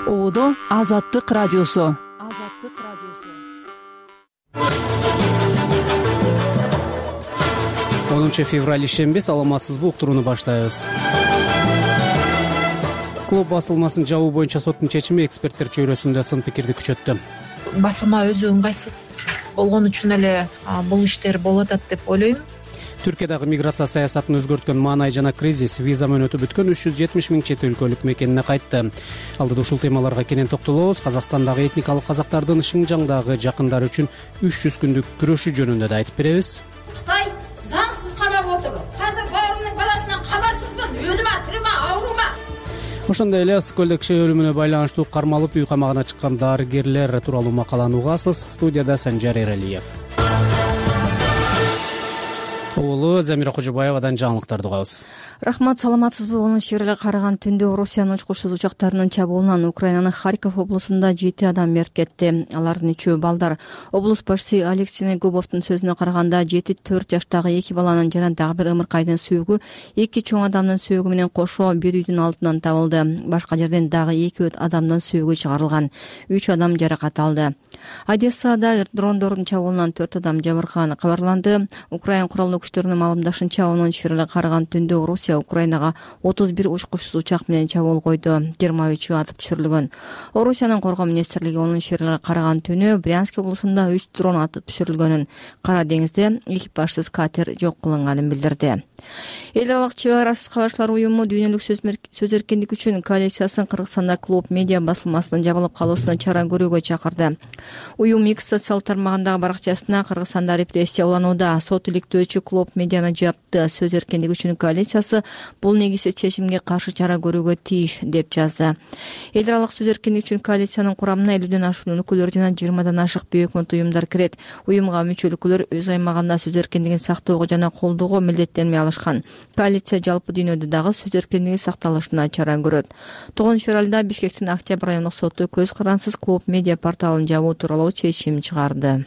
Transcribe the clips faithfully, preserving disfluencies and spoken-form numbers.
Оодо Азаттык радиосу. Азаттык радиосу. онунчу февраль ишемби, саламатсызбы, уктурууну баштайбыз. Клуб басылмасынын жабуу боюнча соттун чечими эксперттер чөйрөсүндө сын пикирди күчөттү. Басылма өзү ыңгайсыз болгон үчүн эле бул иштер болуп атат деп ойлойм. Түркиядагы миграция саясатын өзгөрткөн маанай жана кризис виза мөөнөтү бүткөн үч жүз жетимиш миң чет өлкөлүк мекенине кайтты. Алдыда ушул темаларга кенен токтолобуз. Казакстандагы этникалык казактардын Шыңжаңдагы жакындары үчүн үч жүз күндүк күрөшү жөнүндө да айтып беребиз. Кытай заңсыз камап отур. Азыр баарымдын баласынан кабарсызмын. Өлүмө, тирме, оорума. Ошондой эле ысык көлдө киши өлүмүнө байланыштуу кармалып үй камагына чыккан дарыгерлер тууралуу макаланы угасыз. Студияда Санжар Эралиев. Улуу Замира Кожобаевадан жаңылыктарды угабыз. Рахмат, саламатсызбы? онунчу февралга караган түндө Орусиянын учкучсуз учактарынын чабуулунан Украинанын Харьков облусунда жети адам мерт кетти. Алардын үчөө балдар. Облус башчысы Алексей Губовдун сөзүнө караганда жети төрт жаштагы эки баланын жана дагы бир ымыркайдын сөөгү эки чоң адамдын сөөгү менен кошо бир үйдүн алдынан табылды. Башка жерден дагы эки адамдын сөөгү чыгарылган. үч адам жаракат алды. Одессада дрондордун чабуулунан төрт адам жабыркаганы кабарланды. Украин куралдуу күчтөрүнүн маалымдашынча, онунчу февралга караган түндө Орусия Украинага отуз бир учкучсуз учак менен чабуул койду. жыйырма үчү атып түшүрүлгөн. Орусиянын коргоо министрлиги онунчу февралга караган түнү Брянск облусунда үч дрон атып түшүрүлгөнүн, Кара деңизде экипажсыз катер жок кылынганын билдирди. Эл аралык чек арасыз кабарчылар уюму дүйнөлүк сөз эркиндик үчүн коалициясын Кыргызстанда клуб медиа басылмасынын жабылып калуусуна чара көрүүгө чакырды. Уюм X социалдык тармагындагы баракчасына Кыргызстанда репрессия уланууда, сот иликтөөчү клуб медианы жапты. Сөз эркиндик үчүн коалициясы бул негизсиз чечимге каршы чара көрүүгө тийиш деп жазды. Эл аралык сөз эркиндик үчүн коалициянын курамына элүүдөн ашуун өкүлдөр жана жыйырмадан ашык бейөкмөт уюмдар кирет. Уюмга мүчөлүкүлөр өз аймагында сөз эркиндигин сактоого жана колдоого милдеттенме алышкан. Коалиция жалпы дүйнөдө дагы сөз эркиндиги сакталышына чара көрөт. тогузунчу февралда Бишкектин Октябрь райондук соту көз карансыз клуб медиа порталын жабуу тууралуу чечим чыгарды.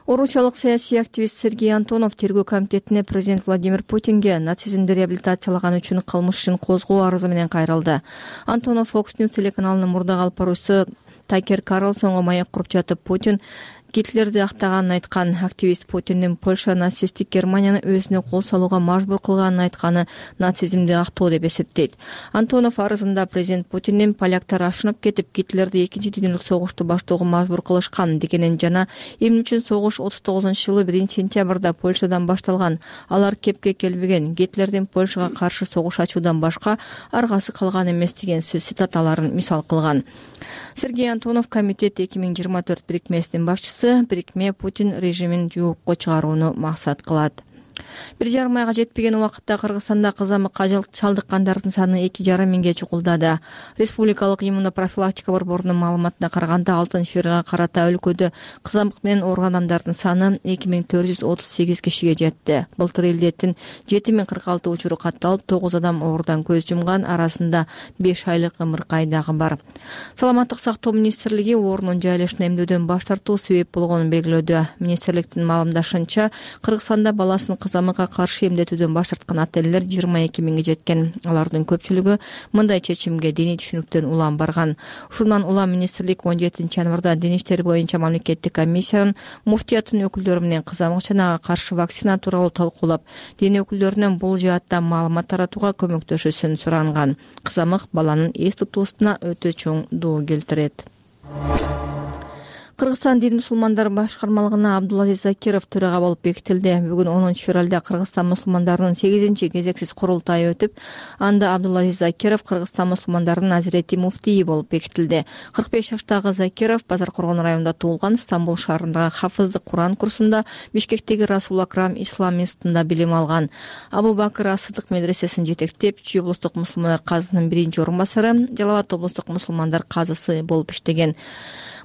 Орусиялык саясий активист Сергей Антонов тергөө комитетине президент Владимир Путинге нацизмди реабилитациялаган үчүн кылмыш ишин козгоо арызы менен кайрылды. Антонов Fox News телеканалынын мурдагы алып баруучусу Такер Карлсонго маек куруп жатып, Путин Гитлерди актаганын айткан. Активист Путиндин Польша нацисттик Германияны өзүнө кол салууга мажбур кылганын айтканы нацизмди актоо деп эсептейт. Антонов арызында президент Путиндин поляктар ашынып кетип, Гитлерди экинчи дүйнөлүк согушту баштоого мажбур кылышкан дегенин жана эмне үчүн согуш отуз тогузунчу жылы биринчи сентябрда Польшадан башталган, алар кепке келбеген, Гитлердин Польшага каршы согуш ачуудан башка аргасы калган эмес деген сөз цитаталарын мисал кылган. Сергей Антонов комитет эки миң жыйырма төрт бирикмесинин башчысы. Бирикме Путин режимин жоокко чыгарууну максат кылат. Бир жарым айга жетпеген убакытта Кыргызстанда кызамыкка чалдыккандардын саны эки жарым миңге чукулдады. Республикалык иммунопрофилактика борборунун маалыматына караганда, алтынчы февралга карата өлкөдө кызамык менен ооруган адамдардын саны эки миң төрт жүз отуз сегиз кишиге жетти. Былтыр элдеттин жети миң кырк алты учуру катталып, тогуз адам оорудан көз жумган, арасында беш айлык ымыркай дагы бар. Саламаттык сактоо министрлиги оорунун жайылышына эмдөөдөн баш тартуу себеп болгонун белгилөөдө. Министрликтин маалымдашынча, Кыргызстанда баласын кызамыкка каршы эмдетүүдөн баш тарткан ата-энелер жыйырма эки миңге жеткен. Алардын көпчүлүгү мындай чечимге диний түшүнүктөн улам барган. Ушундан улам министрлик он жетинчи январда дин иштери боюнча мамлекеттик комиссиянын муфтияттын өкүлдөрү менен кызамык чанага каршы вакцина тууралуу талкуулап, дин өкүлдөрүнөн бул жаатта маалымат таратууга көмөктөшүүсүн суранган. Кызамык баланын эс тутуусуна өтө чоң доо келтирет. Кыргызстан дин мусулмандар башкармалыгына Абдулазиз Закиров төрага болуп бекитилди. Бүгүн онунчу февралда Кыргызстан мусулмандарынын сегизинчи кезексиз курултайы өтүп, анда Абдулазиз Закиров Кыргызстан мусулмандарынын азирети муфтийи болуп бекитилди. кырк беш жаштагы Закиров Базар Коргон районунда туулган. Стамбул шаарындагы Хафыздык Куран курсунда, Бишкектеги Расул Акрам Ислам институтунда билим алган. Абу Бакыр Ас-Сыдык медресесин жетектеп, Чүй облустук мусулмандар казысынын биринчи орун басары, Жалал Абад облустук мусулмандар казысы болуп иштеген.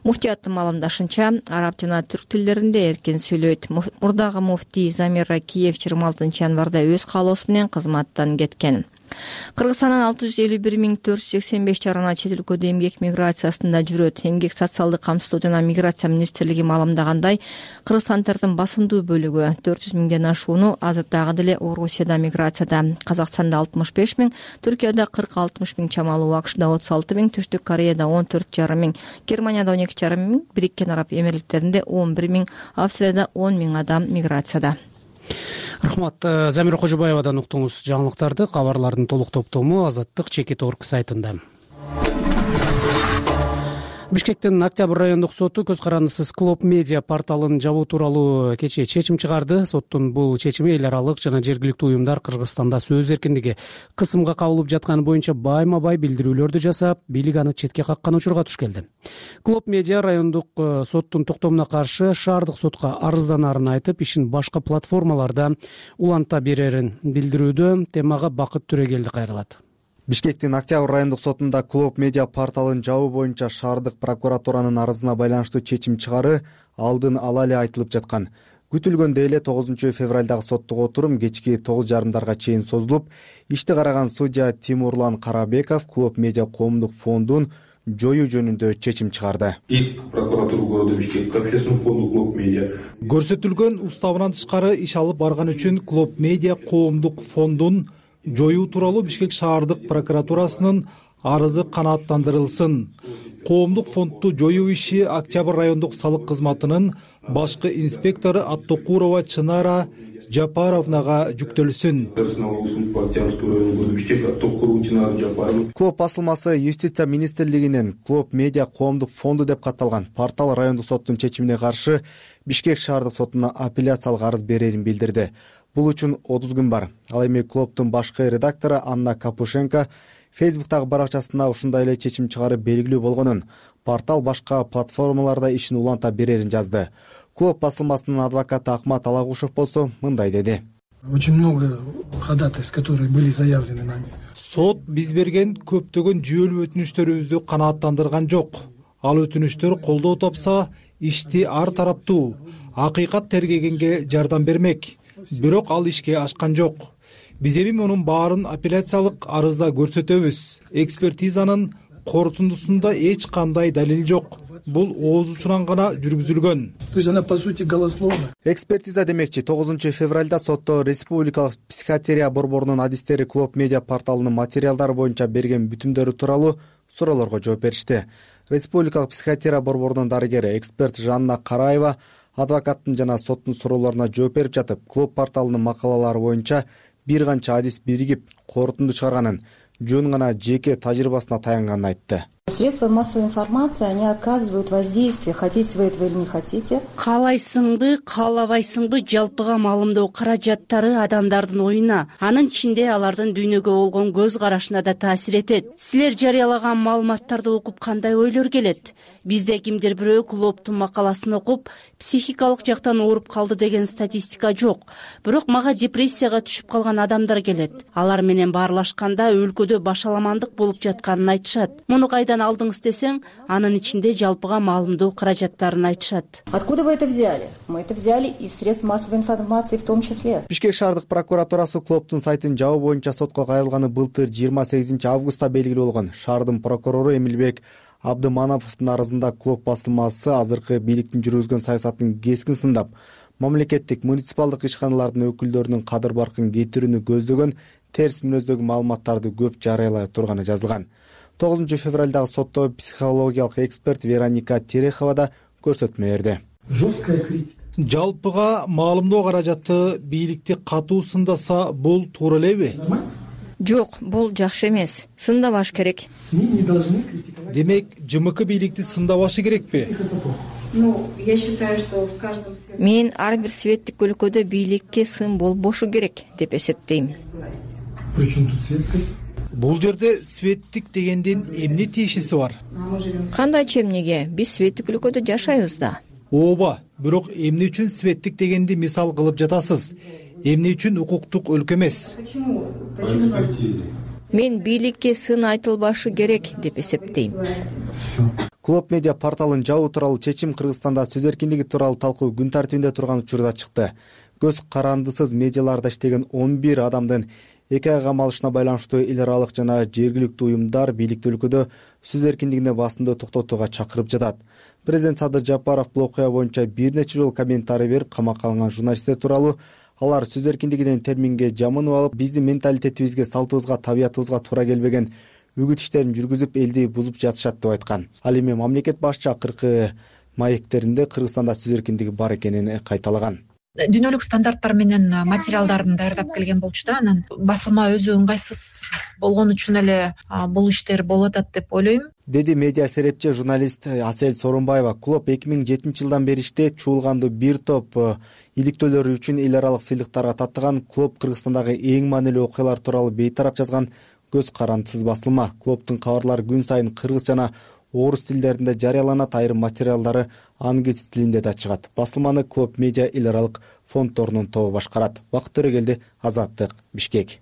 Муфтияттын маалымдашынча, араб жана түрк тилдеринде эркин сүйлөйт. Мурдагы муфтий Замир Ракиев жыйырма алтынчы январда өз каалоосу менен кызматтан кеткен. Кыргызстандын алты жүз элүү бир миң төрт жүз сексен беш жарана чет өлкөдө эмгек миграциясында жүрөт. Эмгек социалдык камсыздоо жана миграция министрлиги маалымдагандай, кыргызстандардын басымдуу бөлүгү төрт жүз миңден ашууну азырдагы деле Орусияда миграцияда. Казакстанда алтымыш беш миң, Түркияда кырк алтымыш миң чамалуу, АКШда отуз алты миң, Түштүк Кореяда он төрт жарым миң, Германияда он эки жарым миң, Бириккен Араб Эмирликтеринде он бир миң, Австрияда он миң адам миграцияда. Рахмат. Замира Кожобаевадан уктуңуз жаңылыктарды. Кабарлардын толук топтому Азаттык чекит точка орг сайтында. Бишкектин Октябрь райондук соту көз карандысыз Клоп Медиа порталын жабуу тууралуу кечээ чечим чыгарды. Соттун бул чечими эл аралык жана жергиликтүү уюмдар Кыргызстанда сөз эркиндиги кысымга кабылып жатканы боюнча байма бай билдирүүлөрдү жасап, бийлик аны четке каккан учурга туш келди. Клоп Медиа райондук соттун токтомуна каршы шаардык сотко арызданарын айтып, ишин башка платформаларда уланта берерин билдирүүдө. Темага Бакыт Түрегелди кайрылат. Бишкектин Октябрь райондук сотунда Клоп Медиа порталын жабуу боюнча шаардык прокуратуранын арызына байланыштуу чечим чыгары алдын ала эле айтылып жаткан. Күтүлгөндөй эле тогузунчу февралдагы соттук отурум кечки тогуз жарымдарга чейин созулуп, ишти караган судья Тимурлан Карабеков Клоп Медиа коомдук фондун жоюу жөнүндө чечим чыгарды. Иск прокуратура города Бишкек к общественному фонду Клоп Медиа. Көрсөтүлгөн уставынан тышкары иш алып барган үчүн Клоп Медиа коомдук фондун жоюу тууралуу Бишкек шаардык прокуратурасынын арызы канааттандырылсын. Коомдук фондду жоюу иши Октябрь райондук салык кызматынын башкы инспектору Аттокурова Чынара Жапаровнага жүктөлсүн. Клоп басылмасы Юстиция министрлигинин Клоп Медиа коомдук фонду деп катталган портал райондук соттун чечимине каршы Бишкек шаардык сотуна апелляциялык арыз берерин билдирди. Бул үчүн отуз күн бар. Ал эми Клоптун башкы редактору Анна Капушенко Фейсбуктагы баракчасында ушундай эле чечим чыгарып белгилүү болгонун, портал башка платформаларда ишин уланта берерин жазды. Клоп басылмасынын адвокаты Акмат Алагушев болсо мындай деди. Очень много ходатайств, которые были заявлены нами. Сот биз берген көптөгөн жүйөлүү өтүнүштөрүбүздү канааттандырган жок. Ал өтүнүштөр колдоо тапса, ишти ар тараптуу акыйкат тергегенге жардам бермек. Бирок ал ишке ашкан жок. Биз эми мунун баарын апелляциялык арызда көрсөтөбүз. Экспертизанын корутундусунда эч кандай далил жок. Бул ооз учуран гана жүргүзүлгөн. То есть она по сути голословна. Экспертиза демекчи тогузунчу февралда сотто Республикалык психиатрия борборунун адистери Клоп Медиа порталынын материалдары боюнча берген бүтүмдөрү тууралуу суроолорго жооп беришти. Республикалык психиатрия борборунун дарыгери эксперт Жанна Караева адвокаттын жана соттун суроолоруна жооп берип жатып, Клоп порталынын макалалары боюнча бир канча адис биригип корутунду чыгарганын, жөн гана жеке тажрыйбасына таянганын айтты. Средства массовой информации, они оказывают воздействие, хотите вы этого или не хотите. Каалайсыңбы, каалабайсыңбы, жалпыга маалымдоо каражаттары адамдардын оюна, анын ичинде алардын дүйнөгө болгон көз карашына да таасир этет. Силер жарыялаган маалыматтарды окуп кандай ойлор келет? Бизде кимдир бирөө Клоптун макаласын окуп, психикалык жактан ооруп калды деген статистика жок. Бирок мага депрессияга түшүп калган адамдар келет. Алар менен баарлашканда өлкөдө башаламандык болуп жатканын айтышат. Муну кайдан алдыңыз десең, анын ичинде жалпыга маалымдоо каражаттарын айтышат. Откуда вы это взяли? Мы это взяли из средств массовой информации в том числе. Бишкек шаардык прокуратурасы Клоптун сайтын жабуу боюнча сотко кайрылганы былтыр жыйырма сегизинчи августта белгилүү болгон. Шаардын прокурору Эмилбек Абдымановдун арызында Клоп басылмасы азыркы бийликтин жүргүзгөн саясатын кескин сындап, мамлекеттик муниципалдык ишканалардын өкүлдөрүнүн кадыр баркын кетирүүнү көздөгөн терс мүнөздөгү маалыматтарды көп жарыялай турганы жазылган. тогузунчу февралдагы сотто психологиялык эксперт Вероника Терехова да көрсөтмө берди. Жалпыга маалымдоо каражаты бийликти катуу сындаса бул туура элеби? Жок, бул жакшы эмес. Сындабаш керек. Демек, ЖМК бийликти сындабашы керекпи? Мен ар бир светтик өлкөдө бийликке сын болбошу керек деп эсептейм. Бул жерде светтик дегендин эмне тиешеси бар? Кандайчы эмнеге? Биз светтик өлкөдө жашайбыз да. Ооба, бирок эмне үчүн светтик дегенди мисал кылып жатасыз? Эмне үчүн укуктук өлкө эмес? Мен бийликке сын айтылбашы керек деп эсептейм. Клоп Медиа порталын жабуу тууралуу чечим Кыргызстанда сөз эркиндиги тууралуу талкуу күн тартибинде турган учурда чыкты. Көз карандысыз медиаларда иштеген он бир адамдын эки ай кам алышына байланыштуу эл аралык жана жергиликтүү уюмдар бийликти өлкөдө сөз эркиндигине басымды токтотууга чакырып жатат. Президент Садыр Жапаров бул окуя боюнча бир нече жолу комментарий берип, камакка алынган журналисттер тууралуу алар сөз эркиндигинен терминге жамынып алып, биздин менталитетибизге, салтыбызга, табиятыбызга туура келбеген үгүт иштерин жүргүзүп, элди бузуп жатышат деп айткан. Ал эми мамлекет башчы акыркы маектеринде Кыргызстанда сөз эркиндиги бар экенин кайталаган. Дүйнөлүк стандарттар менен материалдарын даярдап келген болчу да, анан басылма өзү ыңгайсыз болгон үчүн эле бул иштер болуп атат деп ойлойм, деди медиа серепчи журналист Асель Сооронбаева. Клуб эки миң жетинчи жылдан бери иштейт. Чуулганды бир топ иликтөөлөрү үчүн эл аралык сыйлыктарга таттыган. Клуб Кыргызстандагы эң маанилүү окуялар тууралуу бейтарап жазган көз карандысыз басылма. Клубтун кабарлары күн сайын кыргыз жана орус тилдеринде жарыяланат, айрым материалдары ангиз тилинде да чыгат. Басылманы Клуб медиа эл аралык фонддорунун тобу башкарат. Бакыт Төрөгелди, Азаттык, Бишкек.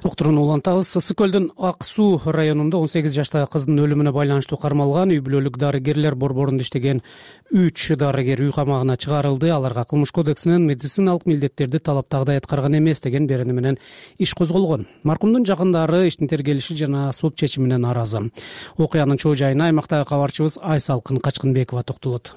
Уктурууну улантабыз. Ысык көлдүн Ак Суу районунда он сегиз жаштагы кыздын өлүмүнө байланыштуу кармалган үй бүлөлүк дарыгерлер борборунда иштеген үч дарыгер үй камагына чыгарылды. Аларга Кылмыш кодексинин медициналык милдеттерди талаптагыдай аткарган эмес деген берени менен иш козголгон. Маркумдун жакындары иштин тергелиши жана сот чечимине нааразы. Окуянын чоо жайына аймактагы кабарчыбыз Айсалкын Качкынбекова токтолот.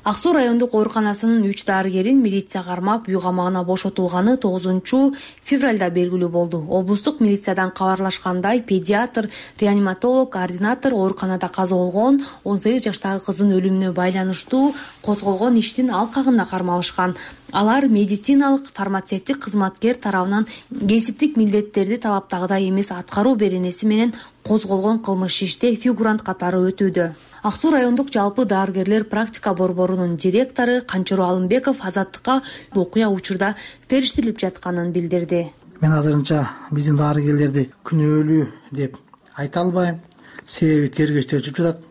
Ак Суу райондук ооруканасынын үч дарыгерин милиция кармап, үй камагына бошотулганы тогузунчу февралда белгилүү болду. Облустук милициядан кабарлашкандай, педиатр, реаниматолог, координатор ооруканада каза болгон он сегиз жаштагы кыздын өлүмүнө байланыштуу козголгон иштин алкагында кармалышкан. Алар медициналык фармацевтик кызматкер тарабынан кесиптик милдеттерди талаптагыдай эмес аткаруу беренеси менен козголгон кылмыш иште фигурант катары өтүүдө. Ак Суу райондук жалпы дарыгерлер практика борборунун директору Канчуру Алымбеков Азаттыкка окуя учурда териштирилип жатканын билдирди. Мен азырынча биздин дарыгерлерди күнөөлүү деп айта албайм. Себеби тергөөчтөр жүрүп жатат.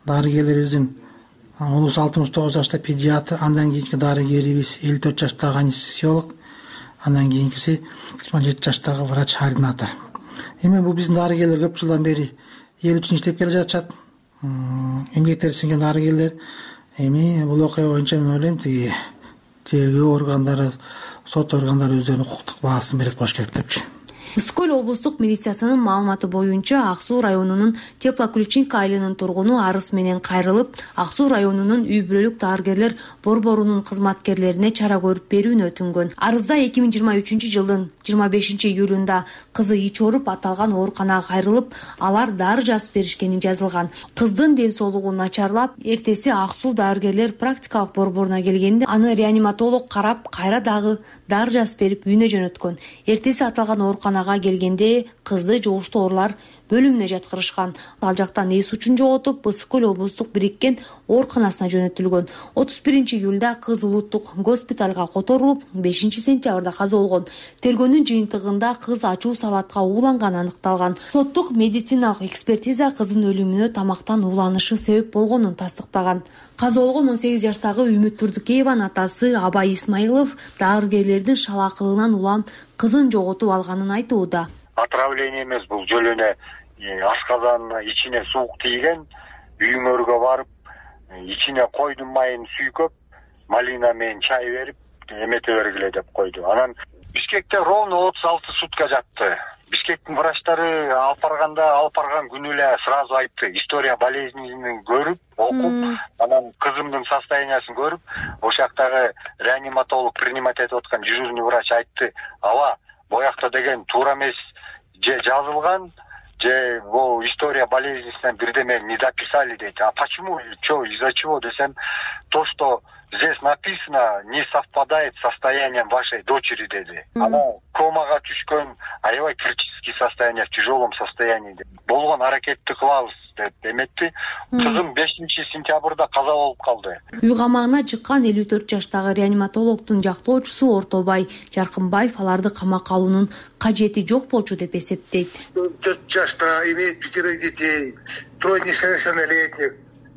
Дарыгерлерибиздин улус алтымыш тогуз жашта педиатр, андан кийинки дарыгерибиз элүү төрт жаштагы анестезиолог, андан кийинкиси жыйырма жети жаштагы врач-координатор. Эми бул биздин дарыгерлер көп жылдан бери эл үчүн иштеп келе жатышат. Эмгектери сиңген дарыгерлер. Эми бул окуя боюнча мен ойлойм, тиги тергөө органдары, сот органдары өздөрүнүн укуктук баасын берет болуш керек депчи. Ысык көл облустук милициясынын маалыматы боюнча Ак Суу районунун Теплоключинка айылынын тургуну арыз менен кайрылып, Ак Суу районунун үй бүлөлүк дарыгерлер борборунун кызматкерлерине чара көрүп берүүнү өтүнгөн. Арызда эки миң жыйырма үчүнчү жылдын жыйырма бешинчи июлунда кызы ич ооруп аталган ооруканага кайрылып, алар дары жазып беришкени жазылган. Кыздын ден соолугу начарлап, эртеси Ак Суу дарыгерлер практикалык борборуна келгенде аны реаниматолог карап, кайра дагы дары жазып берип үйүнө жөнөткөн. Эртеси аталган ооруканага келгенде кызды жугуштуу оорулар бөлүмүнө жаткырышкан. Ал жактан эс учун жоготуп, Ысык көл облустук бириккен ооруканасына жөнөтүлгөн. отуз биринчи июлда кыз улуттук госпиталга которулуп, бешинчи сентябрда каза болгон. Тергөөнүн жыйынтыгында кыз ачуу салатка ууланганы аныкталган. Соттук медициналык экспертиза кыздын өлүмүнө тамактан ууланышы себеп болгонун тастыктаган. Каза болгон он сегиз жаштагы Үмүт Турдукееванын атасы Абай Исмаилов дарыгерлердин шалаакылыгынан улам кызын жоготуп алганын айтууда. Отравление эмес, бул жол эле ашказанын ичине суук тийген, үйүңөргө барып, ичине койдун майын сүйкөп, малина менен чай берип, эмете бергиле деп койду. Анан Бишкекте ровно отуз алты сутка жатты. Бишкектин врачтары алып барганда, алып барган күнү эле сразу айтты. История болезненин көрүп, окуп, анан кызымдын состояниясын көрүп, ошактагы реаниматолог принимать этип аткан дежурный врач айтты: "Ава, боякта деген туура эмес, же жазылган, же бул история болезненинен бирдеме не дописали" дейт. А почему, что, из-за чего десем, то, что здесь написано, не совпадает с состоянием вашей дочери, деди. Она комага түшкөн, аябай критический состояние, в тяжелом состоянии. Болгон аракетти кылабыз деп эметти. Кызым бешинчи сентябрда каза болуп калды. Үй камагына чыккан элүү төрт жаштагы реаниматологдун жактоочусу Ортобай Жаркынбаев аларды камакка алуунун кажети жок болчу деп эсептейт. төрт жашта имеет пятерых детей, трое несовершеннолетних.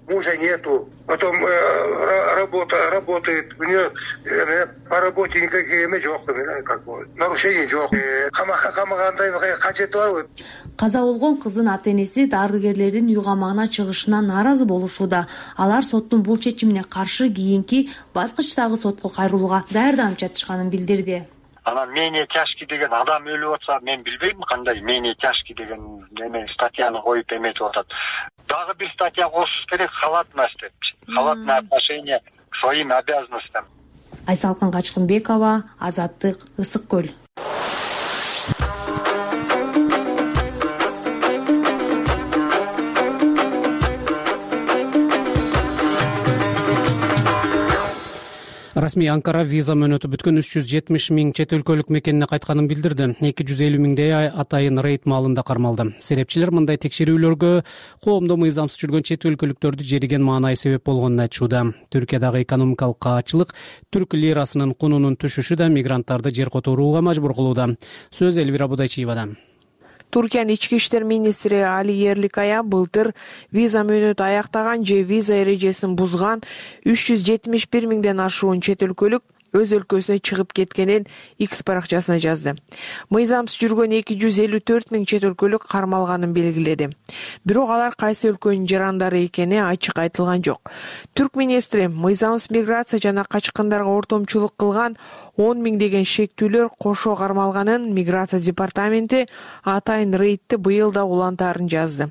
мужа нету, потом э, работа работает, у нее э, по работе никаких эме жок, как бы нарушений жок. Камагандай кажети барбы? Каза болгон кыздын ата-энеси дарыгерлердин үй камагына чыгышынан нааразы болушууда. Алар соттун бул чечимине каршы кийинки баскычтагы сотко кайрылууга даярданып жатышканын билдирди. Анан менее тяжкий деген адам өлүп атса, мен билбейм кандай менее тяжкий деген эме статьяны коюп эметип атат. Дагы бир статья кошуш керек, халатность деп. Халатное отношение к своим обязанностям. Айсалкын Качкынбекова, Азаттык, Ысык көл. Расмий Анкара виза мөөнөтү бүткөн үч жүз жетимиш миң чет өлкөлүк мекенине кайтканын билдирди. эки жүз элүү миңдей атайын рейд маалында кармалды. Серепчилер мындай текшерүүлөргө коомдо мыйзамсыз жүргөн чет өлкөлүктөрдү жериген маанай себеп болгонун айтышууда. Түркиядагы экономикалык каачылык, түрк лирасынын кунунун түшүшү да мигранттарды жер которууга мажбур кылууда. Сөз Элвира Будайчиевада. Туркиянын ички иштер министри Али Ерликая былтыр виза мөөнөтү аяктаган же виза эрежесин бузган үч жүз жетимиш бир миңден ашуун чет өлкөлүк өз өлкөсүнө чыгып кеткенин X баракчасына жазды. Мыйзамсыз жүргөн эки жүз элүү төрт миң чет өлкөлүк кармалганын белгиледи. Бирок алар кайсы өлкөнүн жарандары экени ачык айтылган жок. Түрк министри мыйзамсыз миграция жана качкындарга ортомчулук кылган он миңдеген шектүүлөр кошо кармалганын миграция департаменти атайын рейдти быйыл да улантаарын жазды.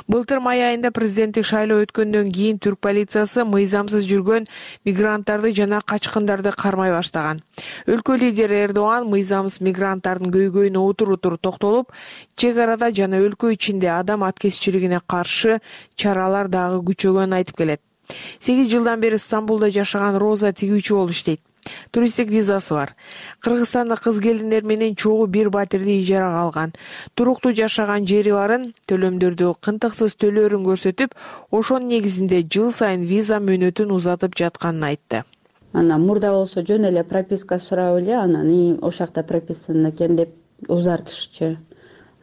Былтыр май айында президенттик шайлоо өткөндөн кийин түрк полициясы мыйзамсыз жүргөн мигранттарды жана качкындарды кармай баштаган. Өлкө лидери Эрдоган мыйзамсыз мигранттардын көйгөйүнө утур-утур токтолуп, чек арада жана өлкө ичинде адам аткезчилигине каршы чаралар дагы күчөгөнүн айтып келет. сегиз жылдан бери Стамбулда жашаган Роза тигүүчү болуп иштейт. Туристтик визасы бар. Кыргызстанда кыз келиндер менен чогуу бир батирди ижарага алган. Туруктуу жашаган жери барын, төлөмдөрдү кынтыксыз төлөөрүн көрсөтүп, ошонун негизинде жыл сайын виза мөөнөтүн узатып жатканын айтты. Анан мурда болсо жөн эле прописка сурап эле, анан и ошол жакта прописан экен деп узартышчы.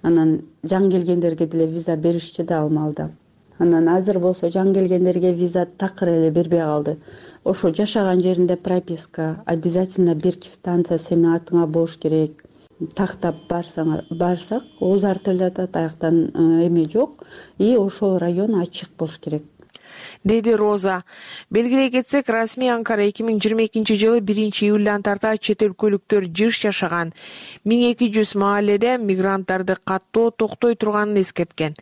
Анан жаңы келгендерге деле виза беришчи да алмалда. Анан азыр болсо жаңы келгендерге виза такыр эле бербей калды. Ошо жашаган жеринде прописка, обязательно бир квитанция сенин атыңа болуш керек. Тактап барсаң, барсак, озар төлөтөт, аяктан эме жок. И ошол район ачык болуш керек. Деди Роза. Белгилей кетсек, расмий Анкара эки миң жыйырма экинчи жылы биринчи июлдан тарта чет өлкөлүктөр жыш жашаган миң эки жүз маалледе мигранттарды каттоо токтой турганын эскерткен.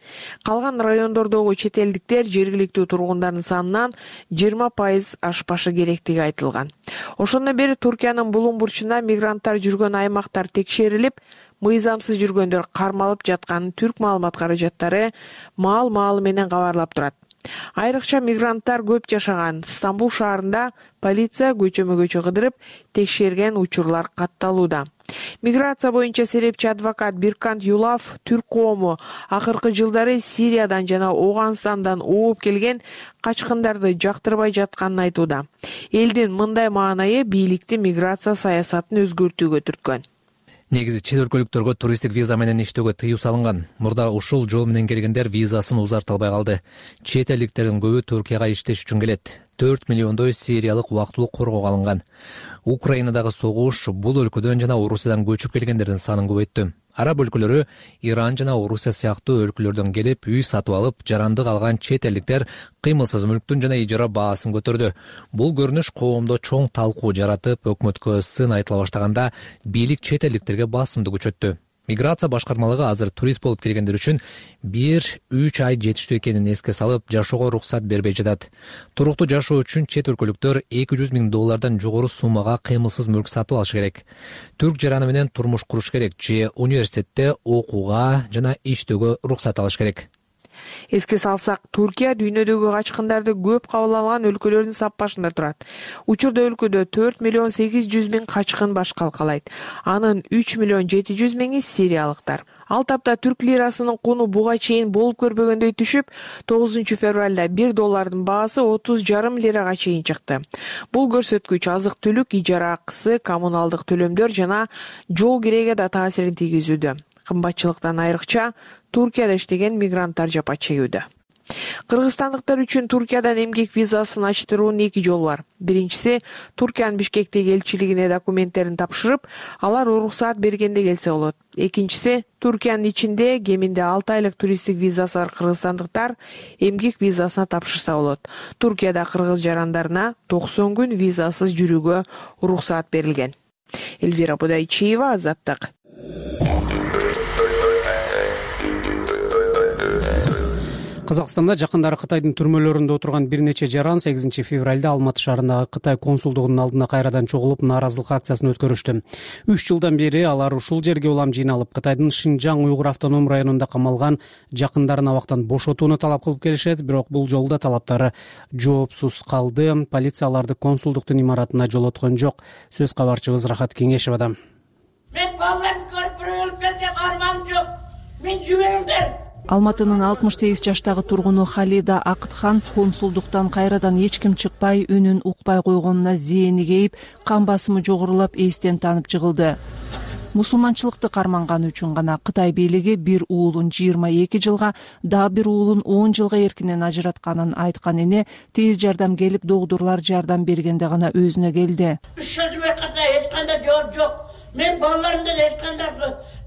Калган райондордогу чет элдиктер жергиликтүү тургундардын санынан жыйырма пайыз ашпашы керектиги айтылган. Ошондон бери Туркиянын булуң бурчунда мигранттар жүргөн аймактар текшерилип, мыйзамсыз жүргөндөр кармалып жатканын түрк маалымат каражаттары маал-маалы менен кабарлап турат. Айрыкча мигранттар көп жашаган Стамбул шаарында полиция көчөмө-көчө кыдырып текшерген учурлар катталууда. Миграция боюнча серепчи адвокат Биркант Юлав түрк коому акыркы жылдары Сириядан жана Ооганстандан ооп келген качкындарды жактырбай жатканын айтууда. Элдин мындай маанайы бийликти миграция саясатын өзгөртүүгө түрткөн. Негизи чет өлкөлүктөргө туристтик виза менен иштөөгө тыюу салынган. Мурда ушул жол менен келгендер визасын узарта албай калды. Чет элдиктердин көбү Түркияга иштеш үчүн келет. төрт миллиондой сириялык убактылуу коргоого алынган. Украинадагы согуш бул өлкөдөн жана Орусиядан көчүп келгендердин санын көбөйттү. Араб өлкөлөрү Иран жана Орусия сыяктуу өлкөлөрдөн келип, үй сатып алып, жарандык алган чет элдиктер кыймылсыз мүлктүн жана ижара баасын көтөрдү. Бул көрүнүш коомдо чоң талкуу жаратып, өкмөткө сын айтыла баштаганда бийлик чет элдиктерге басымды күчөттү. Миграция башкармалыгы азыр турист болуп келгендер үчүн бир үч ай жетиштүү экенин эске салып, жашоого уруксат бербей жатат. Туруктуу жашоо үчүн чет өлкөлүктөр эки жүз миң доллардан жогору суммага кыймылсыз мүлк сатып алышы керек. Түрк жараны менен турмуш куруш керек же университетте окууга жана иштөөгө уруксат алыш керек. Эске салсак, Туркия дүйнөдөгү качкындарды көп кабыл алган өлкөлөрдүн саппашында турат. Учурда өлкөдө төрт миллион сегиз жүз миң качкын баш калкалайт. Анын үч миллион жети жүз миңи сириялыктар. Ал тапта түрк лирасынын куну буга чейин болуп көрбөгөндөй түшүп, тогузунчу февралда бир доллардын баасы отуз жарым лирага чейин чыкты. Бул көрсөткүч азык-түлүк, ижара акысы, коммуналдык төлөмдөр жана жол киреге да таасирин тийгизүүдө. Кымбатчылыктан айрыкча Туркияда иштеген мигранттар жапа чегүүдө. Кыргызстандыктар үчүн Туркиядан эмгек визасын ачтыруунун эки жолу бар. Биринчиси, Туркиянын Бишкектеги элчилигине документтерин тапшырып, алар уруксаат бергенде келсе болот. Экинчиси, Туркиянын ичинде кеминде алты айлык туристтик визасы бар кыргызстандыктар эмгек визасына тапшырса болот. Туркияда кыргыз жарандарына токсон күн визасыз жүрүүгө уруксаат берилген. Эльвира Будайчиева, Азаттык. Казакстанда жакындары Кытайдын түрмөлөрүндө отурган бир нече жаран сегизинчи февралда Алматы шаарындагы Кытай консулдугунун алдына кайрадан чогулуп нааразылык акциясын өткөрүштү. Үч жылдан бери алар ушул жерге улам жыйналып, Кытайдын Шинжаң Уйгур автоном районунда камалган жакындарын абактан бошотууну талап кылып келишет, бирок бул жолу да талаптары жоопсуз калды. Полиция аларды консулдуктун имаратына жолоткон жок. Сөз кабарчыбыз Рахат Кеңешевадан. Мен балаларымды көрүп бирөө өлүп кетти деп арманым жок. Мен жибериңдер. Алматынын алтымыш сегиз жаштагы тургуну Халида Акытхан консулдуктан кайрадан эч ким чыкпай, үнүн укпай койгонуна зээни кейип, кан басымы жогорулап, эстен танып жыгылды. Мусулманчылыкты карманганы үчүн гана Кытай бийлиги бир уулун жыйырма эки жылга, дагы бир уулун он жылга эркинен ажыратканын айткан эне тез жардам келип, догдурлар жардам бергенде гана өзүнө келди. Үч жылдан Кытай эч кандай жооп жок. Мен балаларымдан эч кандай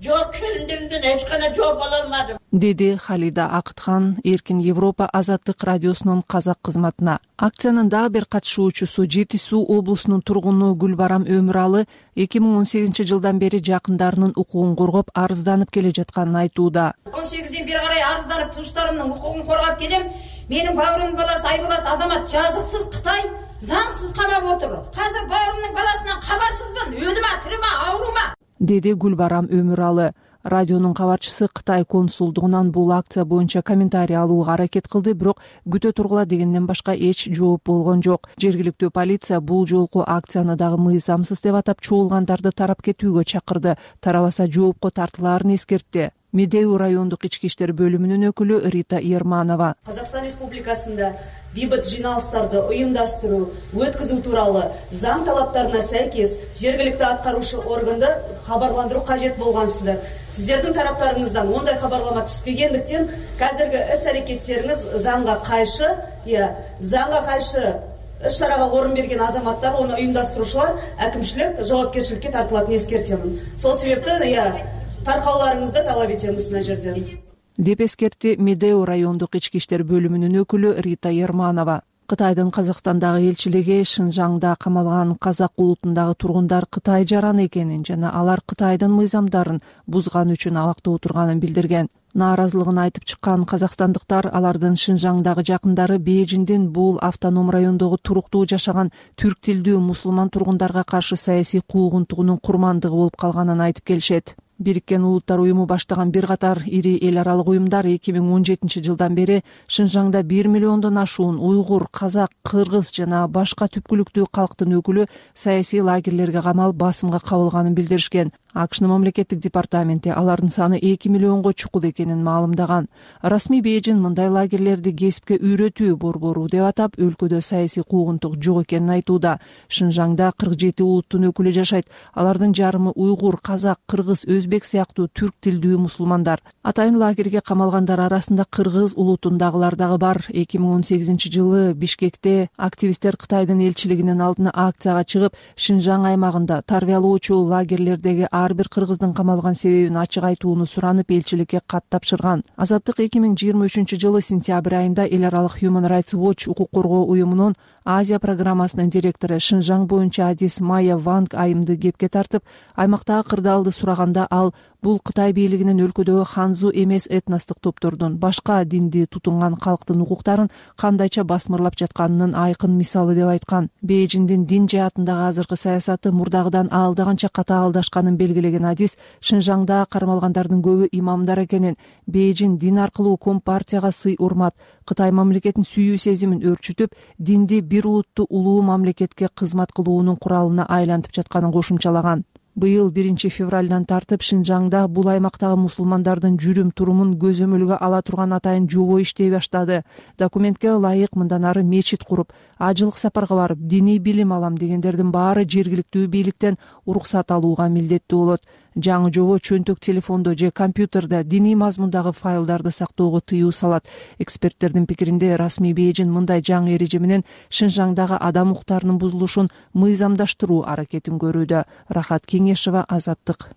жооп, келиндеримден эч кандай жооп ала алмадым, деди Халида Акытхан Эркин Европа Азаттык радиосунун казак кызматына. Акциянын дагы бир катышуучусу Жети Суу облусунун тургуну Гүлбарам Өмүралы эки миң он сегизинчи жылдан бери жакындарынын укугун коргоп, арызданып келе жатканын айтууда. он сегизден бери карай арызданып, туустарымдын укугун коргоп келем. Менин бауырымдын баласы Айболот Азамат жазыксыз Кытай заңсыз камап отур. Азыр бауырымдын баласынан кабарсызбын, өлүмө, тириме, оорума, деди Гүлбарам Өмүралы. Радионун кабарчысы Кытай консулдугунан бул акция боюнча комментарий алууга аракет кылды, бирок күтө тургула дегенден башка эч жооп болгон жок. Жергиликтүү полиция бул жолку акцияны дагы мыйзамсыз деп атап, чогулгандарды тарап кетүүгө чакырды. Тарабаса жоопко тартылаарын эскертти. Медеу райондук ички иштер бөлүмүнүн өкүлү Рита Ерманова. Казакстан Республикасында бейбит жыйналыштарды уюмдаштыруу, өткөзүү тууралуу заң талаптарына сайкес жергиликтүү аткаруучу органды кабарландыруу кажет болгансыздар. Сиздердин тараптарыңыздан ондай кабарлама түспөгөндүктөн азыркы ис-аракеттериңиз заңга кайшы, я заңга кайшы иш-чарага орун берген азаматтар, оны уюмдаштыруучулар әкимчилик жоопкерчиликке тартылатынын эскертемин. Сол себептен я таркауларыңызды талап этебиз мына жерден, деп эскертти Медеу райондук ички иштер бөлүмүнүн өкүлү Рита Ерманова. Кытайдын Казакстандагы элчилиги Шинжаңда камалган казак улутундагы тургундар Кытай жараны экенин жана алар Кытайдын мыйзамдарын бузган үчүн абакта отурганын билдирген. Нааразылыгын айтып чыккан казакстандыктар алардын Шинжаңдагы жакындары Бейжиңдин бул автоном райондогу туруктуу жашаган түрк тилдүү мусулман тургундарга каршы саясий куугунтугунун курмандыгы болуп калганын айтып келишет. Бириккен Улуттар уюму баштаган бир катар ири эл аралык уюмдар эки миң он жетинчи жылдан бери Шинжаңда бир миллиондон ашуун уйгур, казак, кыргыз жана башка түпкүлүктүү калктын өкүлү саясий лагерлерге камалып басымга кабылганын билдиришкен. АКШнын мамлекеттик департаменти алардын саны эки миллионго чукул экенин маалымдаган. Расмий Бейжиң мындай лагерлерди кесипке үйрөтүү борбору деп атап, өлкөдө саясий куугунтук жок экенин айтууда. Шинжаңда кырк жети улуттун өкүлү жашайт. Алардын жарымы уйгур, казак, кыргыз, өзбек сыяктуу түрк тилдүү мусулмандар. Атайын лагерге камалгандар арасында кыргыз улутундагылар дагы бар. эки миң он сегизинчи жылы Бишкекте активисттер Кытайдын элчилигинин алдына акцияга чыгып, Шинжаң аймагында тарбиялоочу лагерлердеги ар бир кыргыздын камалган себебин ачык айтууну суранып, элчиликке кат тапшырган. Азаттык эки миң жыйырма үчүнчү жылы сентябрь айында эл аралык Human Rights Watch укук коргоо уюмунун Азия программасынын директору Шинжаң боюнча адис Майя Ванг айымды кепке тартып, аймактагы кырдаалды сураганда ал бул Кытай бийлигинин өлкөдөгү ханзу эмес этностук топтордун, башка динди тутунган калктын укуктарын кандайча басмырлап жатканынын айкын мисалы деп айткан. Бейжиңдин дин жаатындагы азыркы саясаты мурдагыдан аалдаганча катаалдашканын белгилеген адис Шинжаңда кармалгандардын көбү имамдар экенин, Бейжиң дин аркылуу компартияга сый урмат, Кытай мамлекетин сүйүү сезимин өрчүтүп, динди бир улуттуу улуу мамлекетке кызмат кылуунун куралына айлантып жатканын кошумчалаган. Быйыл биринчи февралдан тартып Шинжаңда бул аймактагы мусулмандардын жүрүм турумун көзөмөлгө ала турган атайын жобо иштей баштады. Документке ылайык мындан ары мечит куруп, ажылык сапарга барып, диний билим алам дегендердин баары жергиликтүү бийликтен уруксат алууга милдеттүү болот. жаңы жобо чөнтөк телефондо же компьютерде диний мазмундагы файлдарды сактоого тыюу салат. Эксперттердин пикиринде расмий Бейжин мындай жаңы эреже менен Шинжаңдагы адам укуктарынын бузулушун мыйзамдаштыруу аракетин көрүүдө. Рахат Кеңешова, Азаттык.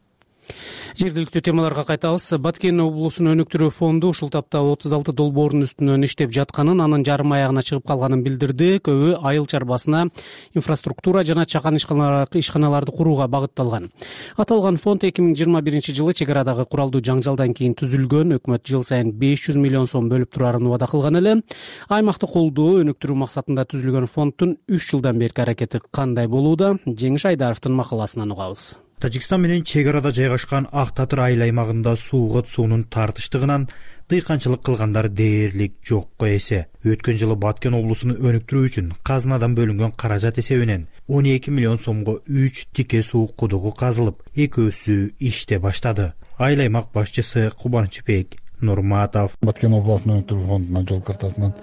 Жергиликтүү темаларга кайтабыз. Баткен облусун өнүктүрүү фонду ушул тапта отуз алты долбоордун үстүнөн иштеп жатканын, анын жарым аягына чыгып калганын билдирди. Көбү айыл чарбасына инфраструктура жана чакан ишканаларды курууга багытталган. Аталган фонд эки миң жыйырма биринчи жылы чек арадагы куралдуу жаңжалдан кийин түзүлгөн. Өкмөт жыл сайын беш жүз миллион сом бөлүп турарын убада кылган эле. Аймакты колдоо, өнүктүрүү максатында түзүлгөн фонддун үч жылдан берки аракети кандай болууда? Жеңиш Айдаровдун макаласынан угабыз. Тажикстан менен чек арада жайгашкан Ак Татыр айыл аймагында суугат суунун тартыштыгынан дыйканчылык кылгандар дээрлик жокко эсе. Өткөн жылы Баткен облусун өнүктүрүү үчүн казынадан бөлүнгөн каражат эсебинен он эки миллион сомго үч тике суу кудугу казылып, экөөсү иште баштады. Айыл аймак башчысы Кубанычбек Нурматов: Баткен облусунун өнүктүрүү фондунун жол картасынан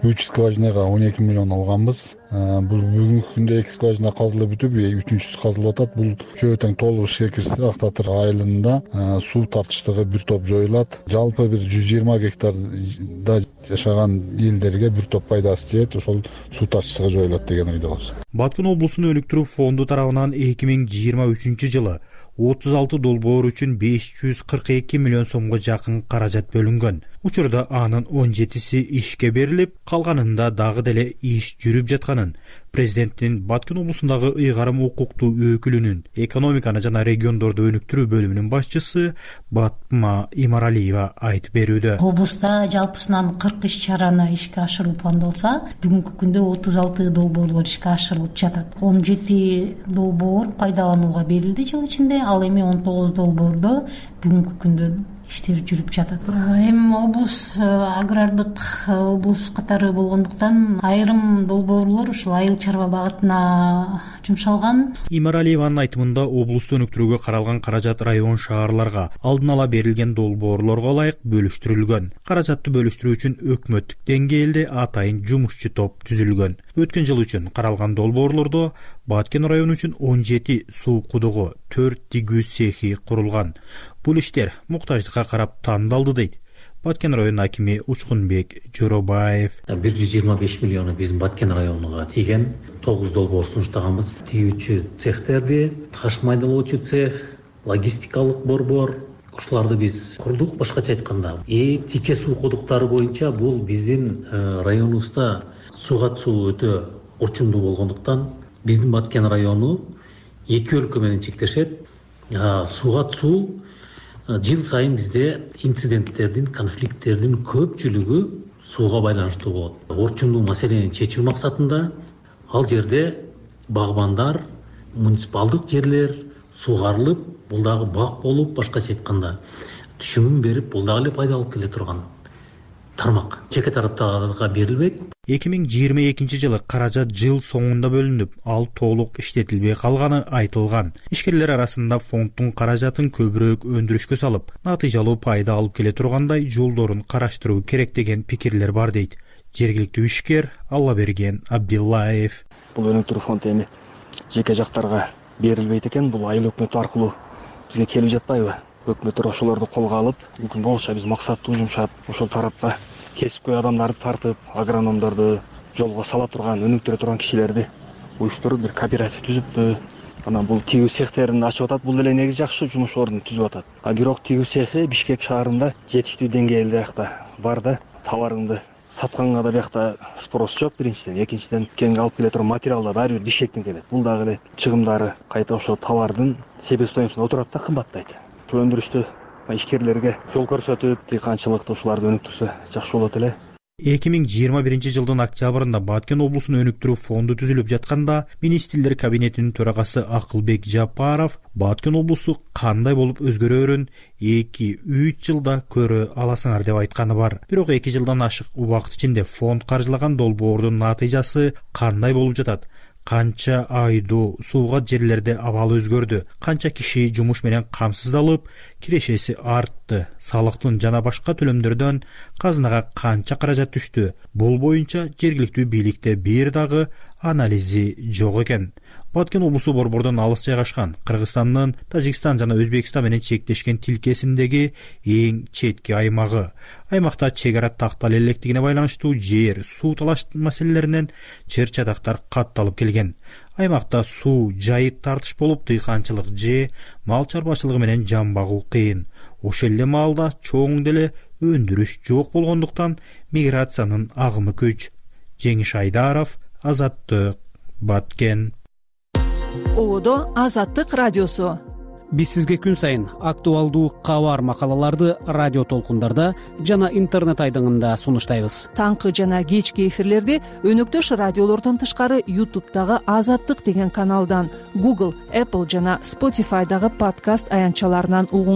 үч скважинага он эки миллион алганбыз. Бул бүгүнкү күндө эки скважина казылып бүтүп, үчүнчүсү казылып атат. Бул чөө тең толук ишке кирсе, Ак Татыр айылында суу тартыштыгы бир топ жоюлат. Жалпы бир жүз жыйырма гектарда жашаган элдерге бир топ пайдасы тиет, ошол суу тартыштыгы жоюлат деген ойдобуз. Баткен облусунун өнүктүрүү фонду тарабынан эки миң жыйырма үчүнчү жылы отуз алты долбоор үчүн беш жүз кырк эки миллион сомго жакын каражат бөлүнгөн. Учурда анын он жетиси ишке берилип, калганында дагы деле иш жүрүп жатканын президенттин Баткен облусундагы ыйгарым укуктуу өкүлүнүн экономиканы жана региондорду өнүктүрүү бөлүмүнүн башчысы Батма Имаралиева айтып берүүдө. Облуста жалпысынан кырк иш чараны ишке ашыруу пландалса, бүгүнкү күндө отуз алты долбоорлор ишке ашырылып жатат. он жети долбоор пайдаланууга берилди жыл ичинде, ал эми он тогуз долбоордо бүгүнкү күндө иштер жүрүп жатат. Эми облус агрардык облус катары болгондуктан айрым долбоорлор ушул айыл чарба багытына жумшалган. Имаралиеванын айтымында облусту өнүктүрүүгө каралган каражат район шаарларга алдын ала берилген долбоорлорго ылайык бөлүштүрүлгөн. Каражатты бөлүштүрүү үчүн өкмөттүк деңгээлде атайын жумушчу топ түзүлгөн. Өткөн жыл үчүн каралган долбоорлордо Баткен району үчүн он жети суу кудугу, төрт тигүү цехи курулган. Бул иштер муктаждыкка карап тандалды дейт Баткен району акими Учкунбек Жоробаев. бир жүз жыйырма беш миллиону биздин Баткен районуга тийген. тогуз долбоор сунуштаганбыз. Тигүүчү цехтерди, таш майдалоочу цех, логистикалык борбор, ушуларды биз курдук. Башкача айтканда, и тике суу кудуктары боюнча бул биздин районубузда суугат суу өтө орчундуу болгондуктан биздин Баткен району эки өлкө менен чектешет. Суугат суу жыл сайын бизде инциденттердин, конфликттердин көпчүлүгү сууга байланыштуу болот. Орчундуу маселени чечүү максатында ал жерде багбандар, муниципалдык жерлер суугарылып, бул дагы бак болуп, башкача айтканда түшүмүн берип, бул дагы эле пайда алып келе турган тармак. Жеке тараптарга берилбейт. эки миң жыйырма экинчи жылы каражат жыл соңунда бөлүнүп, ал толук иштетилбей калганы айтылган. Ишкерлер арасында фонддун каражатын көбүрөөк өндүрүшкө салып, натыйжалуу пайда алып келе тургандай жолдорун караштыруу керек деген пикирлер бар дейт жергиликтүү ишкер Аллаберген Абдиллаев. Бул өнүктүрүү фонд эми жеке жактарга берилбейт экен, бул айыл өкмөтү аркылуу бизге келип жатпайбы? Өкмөттөр ошолорду колго алып, мүмкүн болушунча биз максаттуу жумшап, ошол тарапка кесипкөй адамдарды тартып, агрономдорду жолго сала турган, өнүктүрө турган кишилерди уюштуруп бир кооператив түзүппү. Анан бул тигүү цехтерин ачып атат. Бул деле негизи жакшы жумуш ордун түзүп атат. А бирок тигүү цехи Бишкек шаарында жетиштүү деңгээлде акта бар да, товарыңды сатканга да биякта спрос жок биринчиден, экинчиден кеңге алып келе турган материал да баары бир Бишкектен келет. Бул дагы эле чыгымдары кайта ошол товардын себестоимостуна отурат да, кымбаттайт. Ушул өндүрүштү ишкерлерге жол көрсөтүп, дыйканчылыкты ушуларды өнүктүрсө жакшы болот эле. эки миң жыйырма биринчи жылдын октябрында Баткен облусун өнүктүрүү фонду түзүлүп жатканда министрлер кабинетинин төрагасы Акылбек Жапаров Баткен облусу кандай болуп өзгөрөөрүн эки үч жылда көрө аласыңар деп айтканы бар. Бирок эки жылдан ашык убакыт ичинде фонд каржылаган долбоордун натыйжасы кандай болуп жатат? Канча айдуу суугат жерлерде абал өзгөрдү? Канча киши жумуш менен камсыздалып, кирешеси артты? айтты. Салыктын жана башка төлөмдөрдөн казынага канча каражат түштү? Бул боюнча жергиликтүү бийликте бир дагы анализи жок экен. Баткен облусу борбордон алыс жайгашкан, Кыргызстандын Тажикстан жана Өзбекстан менен чектешкен тилкесиндеги эң четки аймагы. Аймакта чек ара тактала электигине байланыштуу жер, суу талаш маселелеринен чыр-чадактар катталып келген. Аймакта суу, жайыт тартыш болуп, дыйканчылык же мал чарбачылыгы менен жан багуу кыйын. Ошол эле маалда чоң деле өндүрүш жок болгондуктан миграциянын агымы көч. Жеңиш Айдаров, Азаттык, Баткен. Ободо Азаттык радиосу. Биз сизге күн сайын актуалдуу кабар макалаларды радио толкундарда жана интернет айдыңында сунуштайбыз. Таңкы жана кечки эфирлерди өнөктөш радиолордон тышкары YouTube'дагы Азаттык деген каналдан, Google, Apple жана Spotify'дагы подкаст аянтчаларынан угуңузга